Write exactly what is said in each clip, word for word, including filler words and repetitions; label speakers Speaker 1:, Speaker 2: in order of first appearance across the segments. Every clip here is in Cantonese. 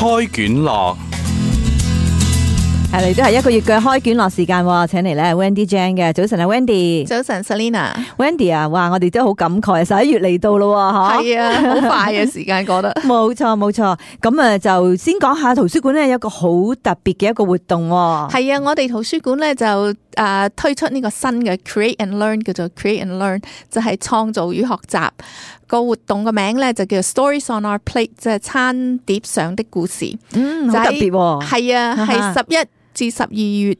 Speaker 1: 開卷樂。
Speaker 2: 係嚟都係一個月嘅開卷樂時間，請嚟咧 Wendy Jane 嘅。早晨啊 Wendy。
Speaker 3: 早晨 Selina。Wendy
Speaker 2: 啊，哇，我哋都好感慨，十一月嚟到咯，吓。
Speaker 3: 係啊，好快嘅時間過得。
Speaker 2: 冇錯冇錯，咁啊就先講下圖書館咧有一個好特別嘅一個活動。
Speaker 3: 係啊，我哋圖書館咧就誒推出呢個新嘅 Create and Learn， 叫做 Create and Learn， 就係創造與學習。個活動嘅名咧就叫 Stories on Our Plate， 即係餐碟上的故事。
Speaker 2: 嗯，好特別。
Speaker 3: 係啊，係十一至十二月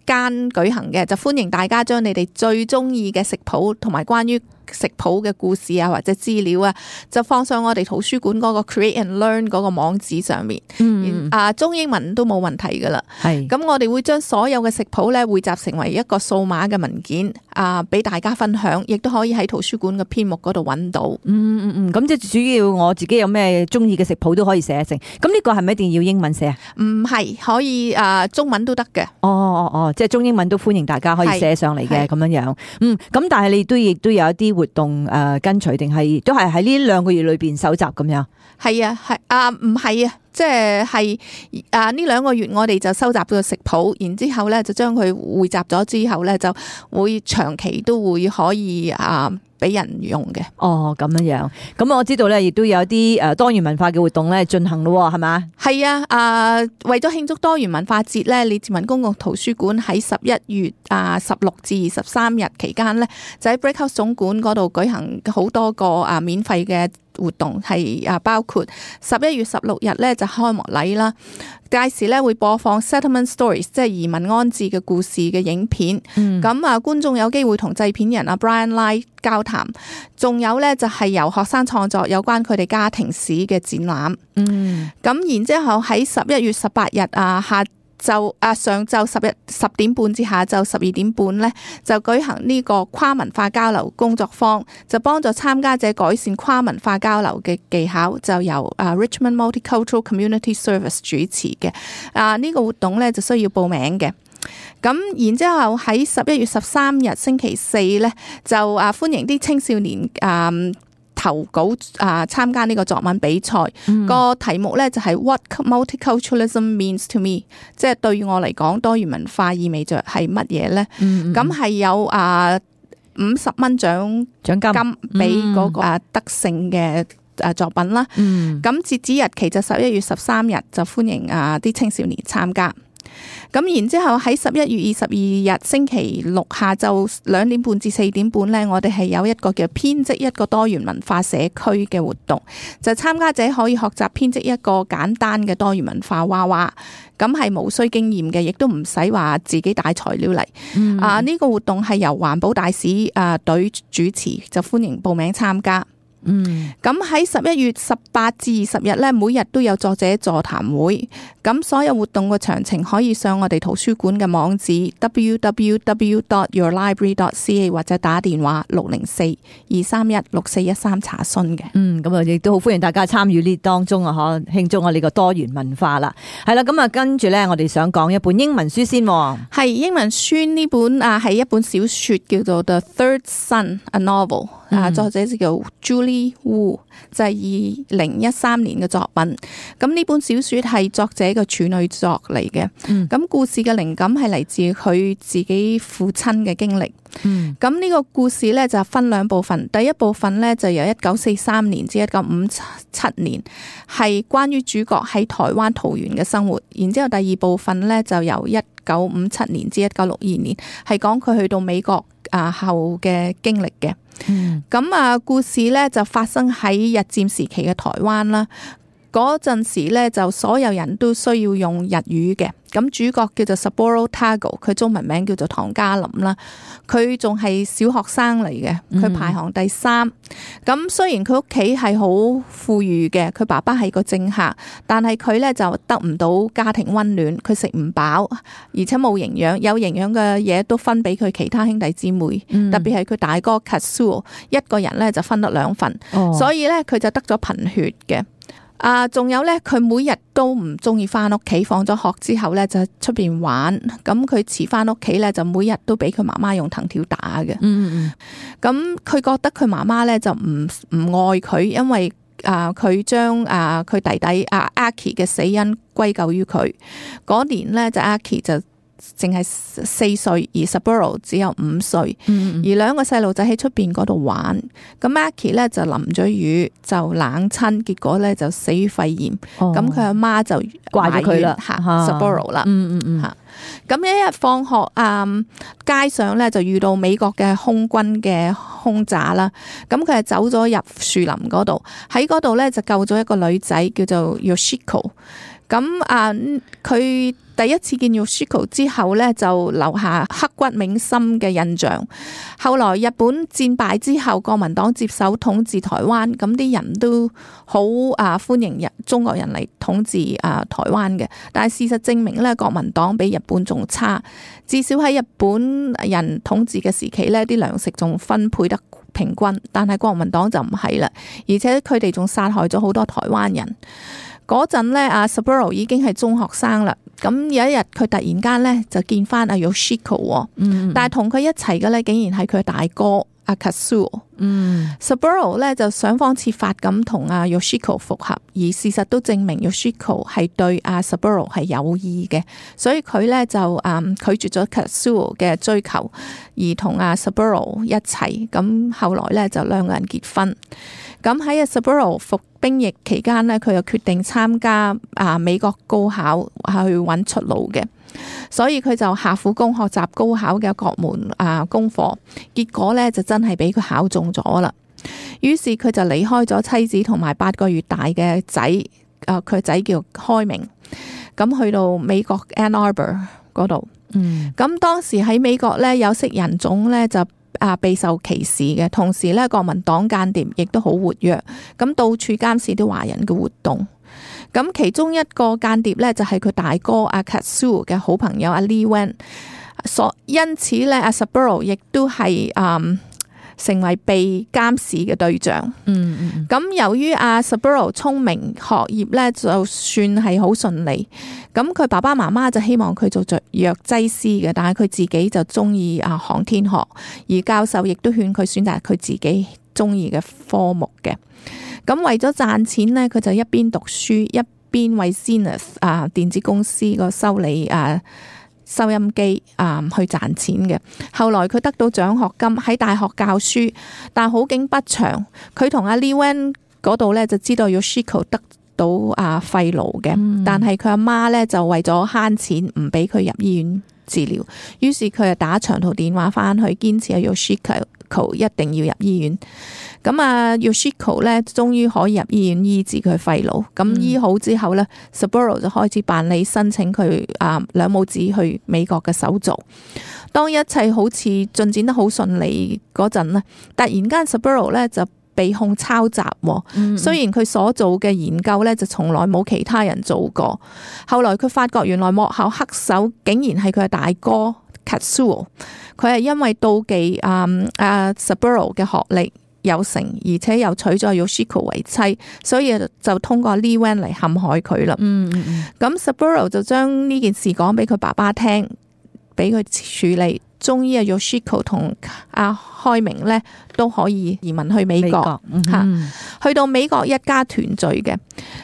Speaker 3: 間舉行嘅，就歡迎大家將你哋最中意嘅食譜同埋關於食譜嘅故事啊或者資料啊，就放上我哋圖書館嗰個 Create and Learn 嗰個網址上面。嗯，啊中英文都冇問題噶啦。係，咁我哋會將所有嘅食譜咧匯集成為一個數碼嘅文件啊，俾大家分享，亦都可以喺圖書館嘅編目嗰度揾到。嗯
Speaker 2: 嗯嗯，咁即係主要我自己有咩中意嘅食譜都可以寫成。咁呢個係咪一定要英文寫啊？唔
Speaker 3: 係，可以啊中文都得嘅。
Speaker 2: 哦哦哦，即係中英文都歡迎大家可以寫上嚟嘅咁樣樣。嗯，咁但係你都亦都有一啲活動誒、呃、跟隨，定係都係喺呢兩個月裏邊搜集咁樣？
Speaker 3: 係啊，係啊，唔係啊，即係係啊呢兩個月我哋就收集咗食譜，然之後咧就將佢匯集咗之後咧就會長期都會可以啊俾人用嘅。
Speaker 2: 哦，咁樣樣。咁我知道咧，亦都有啲誒多元文化嘅活動咧進行咯，係嘛？
Speaker 3: 係啊，啊為咗慶祝多元文化節咧，李志文公共圖書館喺十一月啊十六至二十三日期間咧，就喺 Breakhouse 總館嗰度舉行好多個啊免費嘅活動，係啊包括十一月十六日咧就開幕禮啦，屆時咧會播放 Settlement Stories， 即係移民安置嘅故事嘅影片。咁、嗯、啊觀眾有機會同製片人啊 Brian Lai 交談，仲有咧就係由學生創作有關佢哋家庭史嘅展覽。嗯，咁然之後喺十一月十八日啊下就啊上晝十日十點半至下晝十二點半咧，就舉行呢個跨文化交流工作坊，就幫助參加者改善跨文化交流嘅技巧，就由啊 Richmond Multicultural Community Service 主持嘅。啊呢個活動咧就需要報名嘅。咁然之後喺十一月十三日星期四咧，就啊歡迎啲青少年啊投稿啊參加呢個作文比賽。個、嗯、題目咧就係 What Multiculturalism Means to Me， 即係對於我嚟講多元文化意味着係乜嘢咧？咁係、嗯、有啊五十蚊獎獎金俾嗰個啊得勝嘅誒作品啦。咁、嗯、截止日期就十一月十三日，就歡迎啊啲青少年參加。咁然之後喺十一月二十二日星期六下晝兩點半至四點半呢，我哋係有一個叫編織一個多元文化社區嘅活動，就參加者可以學習編織一個簡單嘅多元文化娃娃，咁係無需經驗嘅，亦都唔使話自己帶材料嚟。嗯、啊呢、這個活動係由環保大使啊隊主持，就歡迎報名參加。嗯，咁喺十一月十八至二十日咧，每日都有作者座談會。咁所有活動嘅詳情可以上我哋圖書館嘅網址 double-u double-u double-u dot your library dot c a 或者打電話六零四二三一六四一三查詢嘅。嗯，
Speaker 2: 咁啊，亦都好歡迎大家參與呢當中啊，嗬，慶祝我哋個多元文化啦。係啦，咁啊，跟住咧，我哋想講一本英文書先。
Speaker 3: 係英文書呢本啊，係一本小說叫做 The Third Son A Novel。啊，作者就叫 Julie Wu， 就係二零一三年嘅作品。咁呢本小說係作者嘅處女作嚟嘅。咁、嗯、故事嘅靈感係嚟自佢自己父親嘅經歷。咁呢、嗯、個故事咧就分兩部分。第一部分咧就由一九四三年至一九五七年，係關於主角喺台灣桃園嘅生活。然之後第二部分咧就由一九五七年至一九六二年，係講佢去到美國啊後嘅經歷嘅。咁、嗯、啊，故事咧就發生喺日佔時期嘅台灣啦。嗰陣時咧就所有人都需要用日語嘅。咁主角叫做 Saburo Tago， 佢中文名叫做唐嘉林啦。佢仲係小學生嚟嘅，佢排行第三。咁、嗯、雖然佢屋企係好富裕嘅，佢爸爸係個政客，但係佢咧就得唔到家庭溫暖，佢食唔飽，而且冇營養，有營養嘅嘢都分俾佢其他兄弟姊妹，嗯、特別係佢大哥 Katsuo， 一個人咧就分得兩份，哦、所以咧佢就得咗貧血嘅。啊，仲有咧，佢每日都唔中意翻屋企，放咗學之後咧就出邊玩。咁佢遲翻屋企咧，就每日都俾佢媽媽用藤條打嘅。嗯嗯。咁佢覺得佢媽媽咧就唔唔愛佢，因為啊佢將啊佢弟弟啊 Aki 嘅死因歸咎於佢。嗰年咧就 Aki 就淨係四歲，而 Saburo 只有五歲，
Speaker 2: 嗯
Speaker 3: 而兩個細路仔喺出邊嗰度玩，咁 Aki 咧就淋咗雨就冷親，結果咧就死於肺炎，咁佢阿媽就
Speaker 2: 怪咗佢啦
Speaker 3: 嚇 Saburo 啦，
Speaker 2: 嗯嗯嗯
Speaker 3: 嚇。咁一日放學啊、嗯，街上咧就遇到美國嘅空軍嘅空炸啦。咁佢係走咗入樹林嗰度，喺嗰度咧就救咗一個女仔叫做 Yoshiko。咁啊，佢第一次見 Yoshiko 之後咧，就留下刻骨銘心嘅印象。後來日本戰敗之後，國民黨接手統治台灣，咁啲人都好啊歡迎日中國人嚟統治啊台灣嘅。但係事實證明咧，國民黨比日本仲差。至少喺日本人統治嘅時期咧，啲糧食仲分配得平均，但係國民黨就唔係啦，而且佢哋仲殺害咗好多台灣人。嗰陣咧，阿 Saburo 已經係中學生啦。咁有一日，佢突然間咧就見翻阿 Yoshiko，
Speaker 2: 嗯，
Speaker 3: 但係同佢一齊嘅咧，竟然係佢大哥阿 Katsuo。
Speaker 2: 嗯
Speaker 3: Saburo 咧就想方設法咁同阿 Yoshiko 復合，而事實都證明 Yoshiko 係對阿 Saburo 係有意嘅，所以佢咧就嗯拒絕咗 Katsuo 嘅追求，而同阿 Saburo 一齊。咁後來咧就兩個人結婚。咁喺阿 Saburo 服兵役期間呢，佢又決定參加啊美國高考去揾出路嘅，所以佢就下苦功學習高考嘅各門啊功課，結果呢就真係俾佢考中咗啦。於是佢就離開咗妻子同埋八個月大嘅仔，啊佢仔叫開明，咁去到美國 Ann Arbor 嗰度。
Speaker 2: 嗯，
Speaker 3: 咁當時喺美國呢，有色人種呢就啊，備受歧視嘅，同時咧，國民黨間諜亦都好活躍，咁到處監視啲華人嘅活動。咁其中一個間諜咧，就係佢大哥阿 Katsuo 嘅好朋友阿 Lee Wen，所因此咧，阿 Saburo 亦都係嗯成為被監視嘅對象。
Speaker 2: 嗯嗯，
Speaker 3: 咁由於阿 Saburo 聰明，學業咧就算係好順利。咁佢爸爸媽媽就希望佢做着藥劑師嘅，但係佢自己就中意啊航天學，而教授亦都勸佢選擇佢自己中意嘅科目嘅。咁為咗賺錢呢，佢就一邊讀書一邊為 Zenith 啊電子公司個修理啊收音機啊去賺錢嘅。後來佢得到獎學金喺大學教書，但好景不長，佢同阿 Lee Wen 嗰度咧就知道 Yoshiko 得到啊肺癆嘅，
Speaker 2: 嗯、
Speaker 3: 但係佢阿媽咧就為咗慳錢唔俾佢入醫院治療，於是佢就打長途電話翻去堅持阿 Yoshiko 一定要入醫院。咁啊 Yoshiko 咧終於可以入醫院醫治佢肺癆。咁、嗯、醫好之後咧 Saburo 就開始辦理申請佢啊兩母子去美國嘅手續。當一切好似進展得好順利嗰陣咧，突然間 Saburo 咧就被控抄襲，
Speaker 2: 嗯、
Speaker 3: 雖然佢所做嘅研究咧就從來冇其他人做過。後來佢發覺原來幕後黑手竟然係佢嘅大哥 Katsuo， 佢係因為妒忌啊啊 Saburo 嘅學歷有成，而且又娶咗 Yoshiko 為妻，所以就通過 Lee Wen 嚟陷害佢啦。
Speaker 2: 嗯嗯嗯，
Speaker 3: 咁 Saburo 就將呢件事講俾佢爸爸聽，俾佢處理。終於啊 Yoshiko 同阿開明咧都可以移民去美國嚇、嗯，去到美國一家團聚嘅。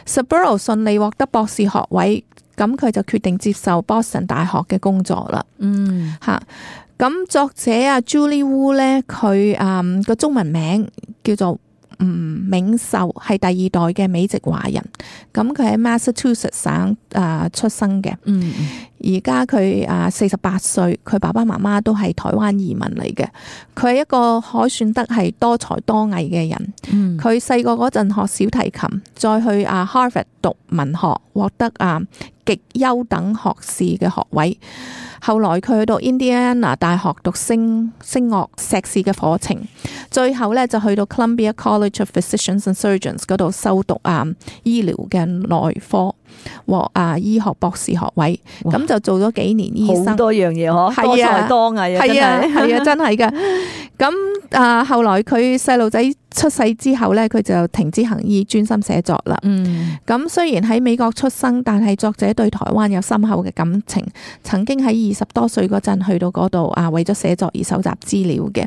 Speaker 3: Saburo 順利獲得博士學位，咁佢就決定接受 Boston 大學嘅工作啦。
Speaker 2: 嗯
Speaker 3: 嚇，咁作者啊 Julie Wu 咧，佢誒個中文名叫做吳銘秀，係第二代嘅美籍華人。咁佢喺 Massachusetts 省誒出生嘅。
Speaker 2: 嗯。
Speaker 3: 而家佢啊四十八歲，佢爸爸媽媽都係台灣移民嚟嘅。佢係一個可算得係多才多藝嘅人。佢細個嗰陣學小提琴，再去啊 Harvard 讀文學，獲得啊極優等學士嘅學位。後來佢去到 Indiana 大學讀聲聲樂碩士嘅課程，最後咧就去到 Columbia College of Physicians and Surgeons 嗰度修讀啊醫療嘅內科，獲啊醫學博士學位。咁就做咗幾年醫生，
Speaker 2: 好多樣嘢嗬，多才多藝啊，
Speaker 3: 係啊係啊，真係噶。咁啊，後來佢細路仔出世之後咧，佢就停止行醫，專心寫作啦。
Speaker 2: 嗯，
Speaker 3: 咁雖然喺美國出生，但係作者對台灣有深厚嘅感情，曾經喺二二十多歲嗰陣去到嗰度啊，為咗寫作而搜集資料嘅，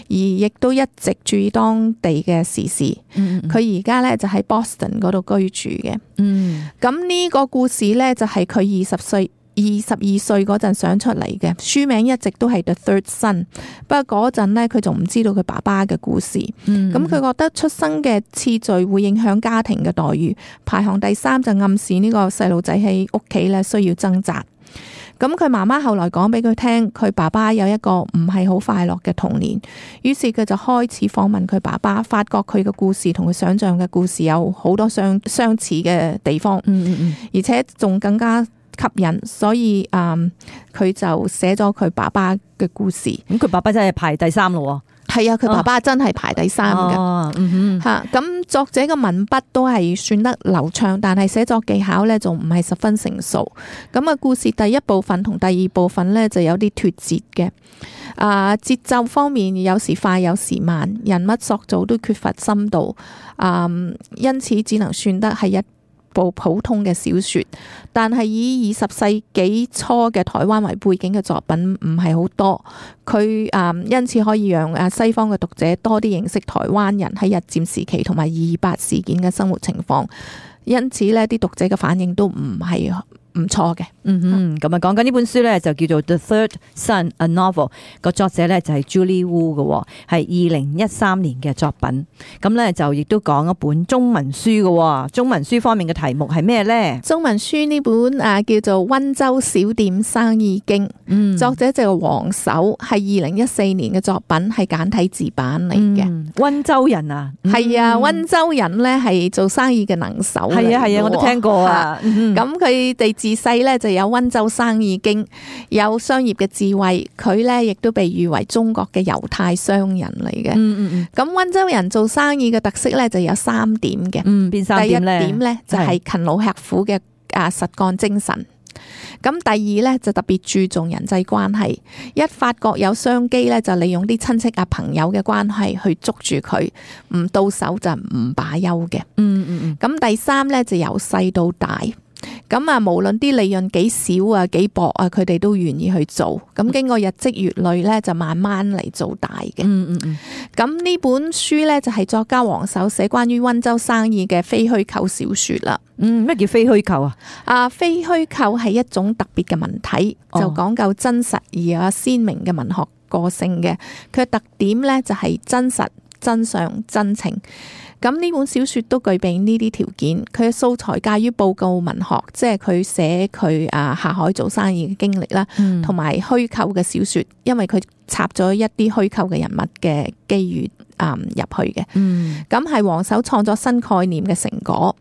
Speaker 3: 而亦都一直注意當地嘅時事。佢而家咧就喺 Boston 嗰度居住嘅。
Speaker 2: 嗯，
Speaker 3: 咁呢個故事咧就係佢二十歲。二十二歲嗰陣想出嚟嘅，書名一直都係 The Third Son， 不過嗰陣呢，佢仲唔知道佢爸爸嘅故事，咁佢、嗯、覺得出生嘅次序會影響家庭嘅待遇，排行第三就暗示呢個細路仔喺屋企咧需要掙扎。咁佢媽媽後來講俾佢聽，佢爸爸有一個唔係好快樂嘅童年，於是佢就開始訪問佢爸爸，發覺佢嘅故事同佢想象嘅故事有好多相相似嘅地方，嗯嗯嗯，而且仲更加吸引，所以嗯，佢就寫咗佢爸爸嘅故事。
Speaker 2: 咁佢爸爸真係排第三咯。
Speaker 3: 係啊，佢爸爸真係排第三嘅。吓、哦，咁、嗯啊、作者嘅文筆都係算得流暢，但係寫作技巧咧仲唔係十分成熟。咁啊，故事第一部分同第二部分咧就有啲脫節嘅。啊，節奏方面有時快有時慢，人物塑造都缺乏深度。啊，因此只能算得係一部普通嘅小說，但係以二十世紀初嘅台灣為背景嘅作品唔係好多，佢誒因此可以讓誒西方嘅讀者多啲認識台灣人喺日佔時期同埋二二八事件嘅生活情況，因此呢啲讀者嘅反應都唔係唔錯嘅。
Speaker 2: 嗯哼，咁啊講緊呢本書咧就叫做 The Third Son A Novel， 個作者咧就係 Julie Wu 嘅，係二零一三年嘅作品。咁咧就亦都講一本中文書嘅，中文書方面嘅題目係咩咧？
Speaker 3: 中文書呢本啊叫做《溫州小店生意經》，嗯，作者就係黃守，係二零一四年嘅作品，係簡體字版嚟嘅。嗯，溫州人啊，係、嗯、啊，溫州人咧係做生意嘅能手，
Speaker 2: 係啊係啊，我都聽過啊。
Speaker 3: 咁佢哋自細咧就有溫州生意經，有商業嘅智慧，佢咧亦都被譽為中國嘅猶太商人嚟嘅。嗯嗯嗯。咁溫州人做生意嘅特色咧就有三點嘅。嗯，邊三點咧？第一點咧就係勤勞吃苦嘅啊實幹精神。咁第二咧就特別注重人際關係，一發覺有商機咧就利用啲親戚啊朋友嘅關係去捉住佢，唔到手就唔罷休嘅。嗯嗯嗯。咁第三咧就由細到大。咁啊，無論啲利潤幾少啊，幾薄啊，佢哋都願意去做。咁經過日積月累咧，就慢慢嚟做大嘅。嗯嗯嗯。咁呢本書咧就係作家黃守寫關於溫州生意嘅非虛構小說啦。
Speaker 2: 嗯，咩叫非虛構啊？
Speaker 3: 啊，非虛構係一種特別嘅文體，就講究真實而有鮮明嘅文學個性嘅。佢嘅特點咧就係真實、真相、真情。咁呢本小說都具備呢啲條件，佢嘅素材介於報告文學，即係佢寫佢啊下海做生意嘅經歷啦，同埋虛構嘅小說，因為佢插咗一啲虛構嘅人物嘅機遇啊入去嘅。咁係黃守創作新概念嘅成果。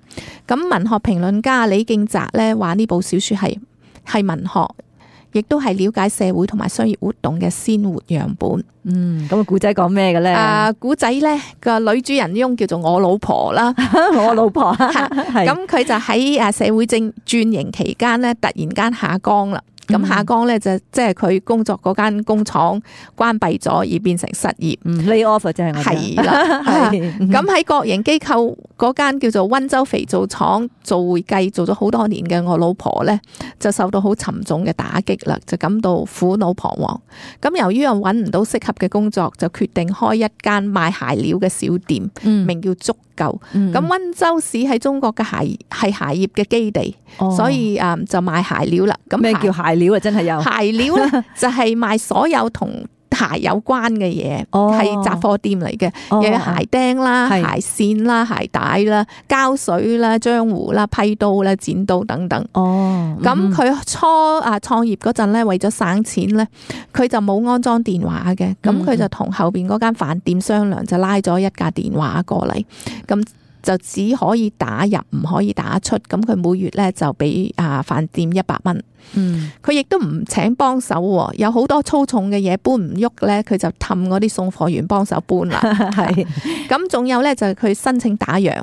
Speaker 3: 咁文學評論家李敬澤咧話呢部小說係係文學，亦都係了解社會同埋商業活動嘅鮮活樣本。
Speaker 2: 嗯，咁個古仔講咩嘅咧？啊，
Speaker 3: 古仔咧個女主人翁叫做我老婆啦，
Speaker 2: 我老婆。
Speaker 3: 咁佢就喺誒社會正轉型期間咧，突然間下崗啦。咁下崗咧就即係佢工作嗰間工廠關閉咗，而變成失業。
Speaker 2: 嗯 lay off 就係我
Speaker 3: 係啦。咁喺國營機構嗰間叫做溫州肥皂廠做會計做咗好多年嘅我老婆咧，就受到好沉重嘅打擊啦，就感到苦惱彷徨。咁由於又揾唔到適合嘅工作，就決定開一間賣鞋料嘅小店，嗯、名叫足夠。咁溫、嗯、州市喺中國嘅鞋係鞋業嘅基地，哦、所以誒、嗯、就賣鞋料啦。咁
Speaker 2: 咩叫鞋料啊？真係有
Speaker 3: 鞋料咧，就係賣所有同鞋有關嘅嘢，係雜貨店嚟嘅，又、哦、有鞋釘啦、是鞋線啦、鞋帶啦、膠水啦、漿糊啦、批刀啦、剪刀等等。哦，咁佢、嗯、初啊創業嗰陣咧，為咗省錢咧，佢就冇安裝電話嘅，咁佢就同後邊嗰間飯店商量，就拉咗一架電話過嚟，咁就只可以打入，唔可以打出。咁佢每月咧就俾啊飯店一百蚊。嗯，佢亦都唔請幫手，有好多粗重嘅嘢搬唔喐咧，佢就氹嗰啲送貨員幫手搬啦。係，咁仲有咧就係佢申請打烊，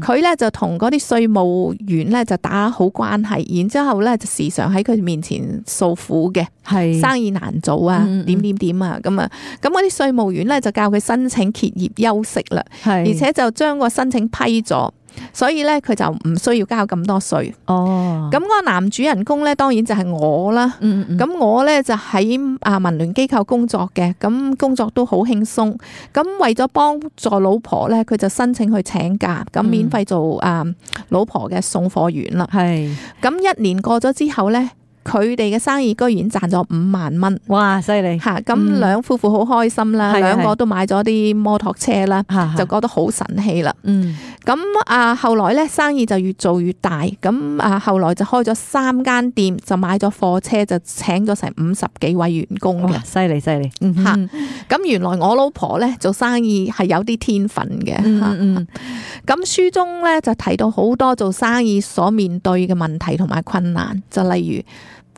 Speaker 3: 佢咧、嗯、就同嗰啲稅務員咧就打好關係，然之後咧就時常喺佢面前訴苦嘅，係是生意難做啊，嗯、點點點啊，咁啊，咁嗰啲稅務員咧就教佢申請歇業休息啦，係，而且就將個申請批咗。所以咧佢就唔需要交咁多稅。
Speaker 2: 哦，
Speaker 3: 咁嗰個男主人公咧，當然就係我啦。
Speaker 2: 嗯嗯
Speaker 3: 咁我咧就喺啊民聯機構工作嘅，咁工作都好輕鬆。咁為咗幫助老婆咧，佢就申請去請假，咁免費做啊老婆嘅送貨員啦。
Speaker 2: 係，
Speaker 3: 咁一年過咗之後咧，佢哋嘅生意居然賺咗五萬蚊。
Speaker 2: 哇，犀利
Speaker 3: 吓，咁兩夫婦好開心啦，
Speaker 2: 係
Speaker 3: 兩個都買咗啲摩托車啦，
Speaker 2: 嚇
Speaker 3: 就覺得好神氣啦。
Speaker 2: 嗯
Speaker 3: 咁啊，後來咧生意就越做越大，咁啊後來就開咗三間店，就買咗貨車，就請咗成五十幾位員工嘅
Speaker 2: 哇，。犀利犀利，嗯
Speaker 3: 嚇
Speaker 2: 哼
Speaker 3: 咁原來我老婆咧做生意係有啲天分嘅。
Speaker 2: 嗯
Speaker 3: 嚇
Speaker 2: 嗯
Speaker 3: 咁書中咧就提到好多做生意所面對嘅問題同埋困難，就例如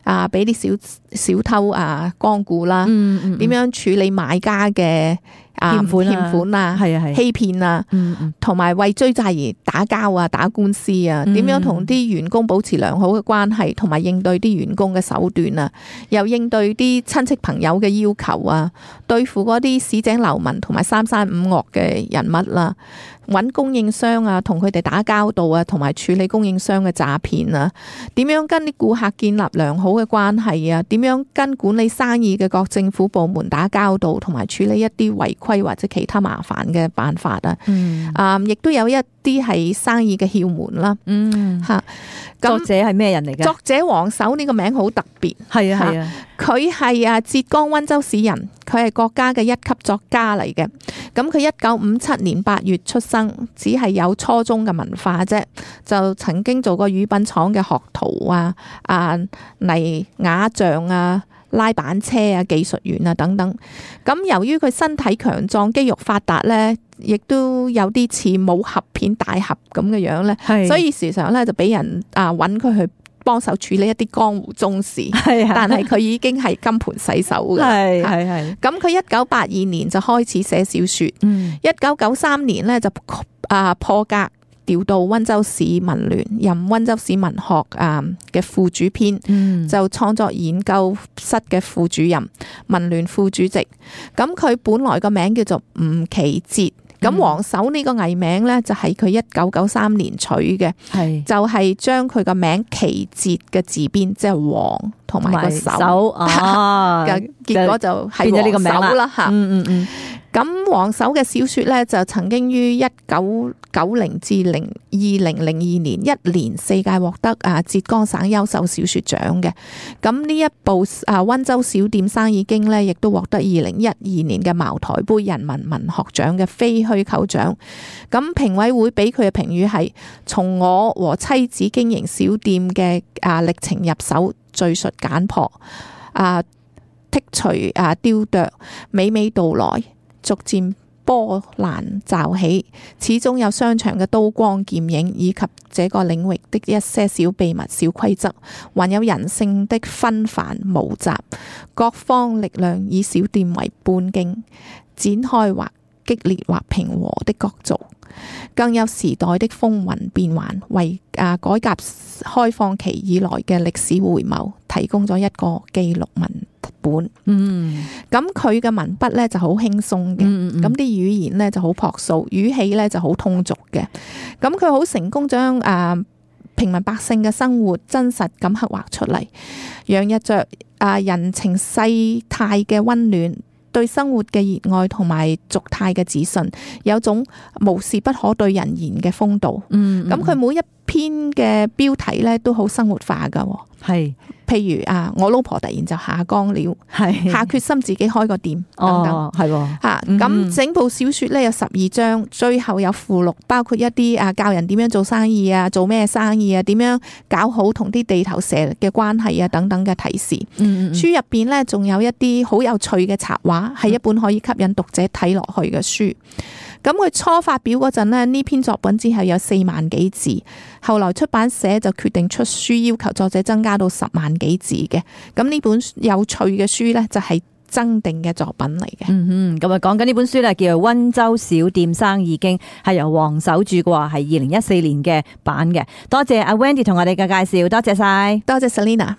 Speaker 3: 啊俾啲小小偷啊光顧啦，
Speaker 2: 嗯嗯，
Speaker 3: 點樣處理買家嘅啊
Speaker 2: 欠款啊
Speaker 3: 欠款啊、
Speaker 2: 係啊係，
Speaker 3: 欺騙啊。
Speaker 2: 嗯嗯
Speaker 3: 同埋為追債而打交啊、打官司啊，
Speaker 2: 嗯
Speaker 3: 點樣同啲員工保持良好嘅關係，同埋應對啲員工嘅手段啊，又應對啲親戚朋友嘅要求啊，對付嗰啲市井流民同埋三山五岳嘅人物啦，揾供應商啊，同佢哋打交道啊，同埋處理供應商嘅詐騙啊，點樣跟啲顧客建立良好嘅關係啊，點樣跟管理生意嘅各政府部門打交道，同埋處理一啲違規或者其他麻煩嘅辦法啊。
Speaker 2: 嗯
Speaker 3: 啊，亦都有一啲係生意嘅竅門啦，
Speaker 2: 嗯，
Speaker 3: 吓
Speaker 2: 作
Speaker 3: 咁
Speaker 2: 者係咩人嚟嘅？
Speaker 3: 作者黃手呢個名好特別，
Speaker 2: 係啊係啊，
Speaker 3: 佢係啊浙江溫州市人，佢係國家嘅一級作家嚟嘅。咁佢一九五七年八月出生，只係有初中嘅文化啫，就曾經做過乳品廠嘅學徒啊、啊泥瓦匠啊、拉板車啊、技術員啊等等。咁由於佢身體強壯、肌肉發達咧，亦都有啲似武俠片大俠咁嘅樣咧，
Speaker 2: 係，
Speaker 3: 所以時常咧就俾人啊揾佢去幫手處理一啲江湖中事。
Speaker 2: 係啊，
Speaker 3: 但係佢已經係金盆洗手嘅。
Speaker 2: 係係係，
Speaker 3: 咁佢一九八二年就開始寫小說，
Speaker 2: 嗯
Speaker 3: 一九九三年咧就啊破格調到溫州市文聯，任溫州市文學啊嘅副主編，
Speaker 2: 嗯，
Speaker 3: 就創作研究室嘅副主任、文聯副主席。咁佢本來個名叫做吳其哲。咁黃手呢個藝名咧就係佢一九九三年取嘅，
Speaker 2: 係
Speaker 3: 就係將佢個名其哲嘅字邊，即係黃同埋個手
Speaker 2: 手啊，
Speaker 3: 嘅結果就係
Speaker 2: 變咗呢個名
Speaker 3: 黃手啦吓。
Speaker 2: 嗯嗯嗯，
Speaker 3: 咁黃手嘅小說咧就曾經於一九九零至零二零零二年一連四屆獲得啊浙江省優秀小說獎嘅。咁呢一部啊溫州小店生意經咧，亦都獲得二零一二年嘅茅台杯人民文學獎嘅非虛構獎。咁評委會俾佢嘅評語係從我和妻子經營小店嘅啊歷程入手，敘述簡樸啊剔除啊雕琢，娓娓道來，逐漸波瀾驟起，始終有商場嘅刀光劍影，以及這個領域的一些小秘密、小規則，還有人性的紛繁無雜，各方力量以小店為半徑，展開或激烈或平和的角逐，更有時代的風雲變幻，為啊改革開放期以來嘅歷史回眸提供咗一個記錄文本。
Speaker 2: 嗯，
Speaker 3: 咁佢嘅文筆咧就好輕鬆嘅，
Speaker 2: 嗯嗯
Speaker 3: 咁啲語言咧就好樸素，語氣咧就好通俗嘅。咁佢好成功將啊平民百姓嘅生活真實咁刻畫出嚟，洋溢着啊人情世態嘅溫暖，對生活嘅熱愛同埋俗態嘅自信，有種無事不可對人言嘅風度。
Speaker 2: 嗯，
Speaker 3: 咁佢每一篇嘅標題咧都好生活化噶，
Speaker 2: 係
Speaker 3: 譬如啊，我老婆突然就下崗了，
Speaker 2: 係
Speaker 3: 下決心自己開個店等等。
Speaker 2: 哦，係喎，
Speaker 3: 吓
Speaker 2: 嗯
Speaker 3: 咁整部小說咧有十二章，最後有附錄，包括一啲啊教人點樣做生意啊，做咩生意啊，點樣搞好同啲地頭蛇嘅關係啊等等嘅提示。
Speaker 2: 嗯嗯
Speaker 3: 書入邊咧仲有一啲好有趣嘅插畫，係一本可以吸引讀者睇落去嘅書。咁佢初發表嗰陣呢，呢篇作品只係有四萬幾字，後來出版社就決定出書，要求作者增加到十萬幾字嘅。咁呢本有趣嘅書呢，就係增訂嘅作品嚟嘅。
Speaker 2: 嗯哼，咁啊講緊呢本書咧，叫做《溫州小店生意經》，係由黃手著嘅話，係二零一四年嘅版嘅。多謝阿 Wendy 同我哋嘅介紹，多謝晒。
Speaker 3: 多謝 Selina。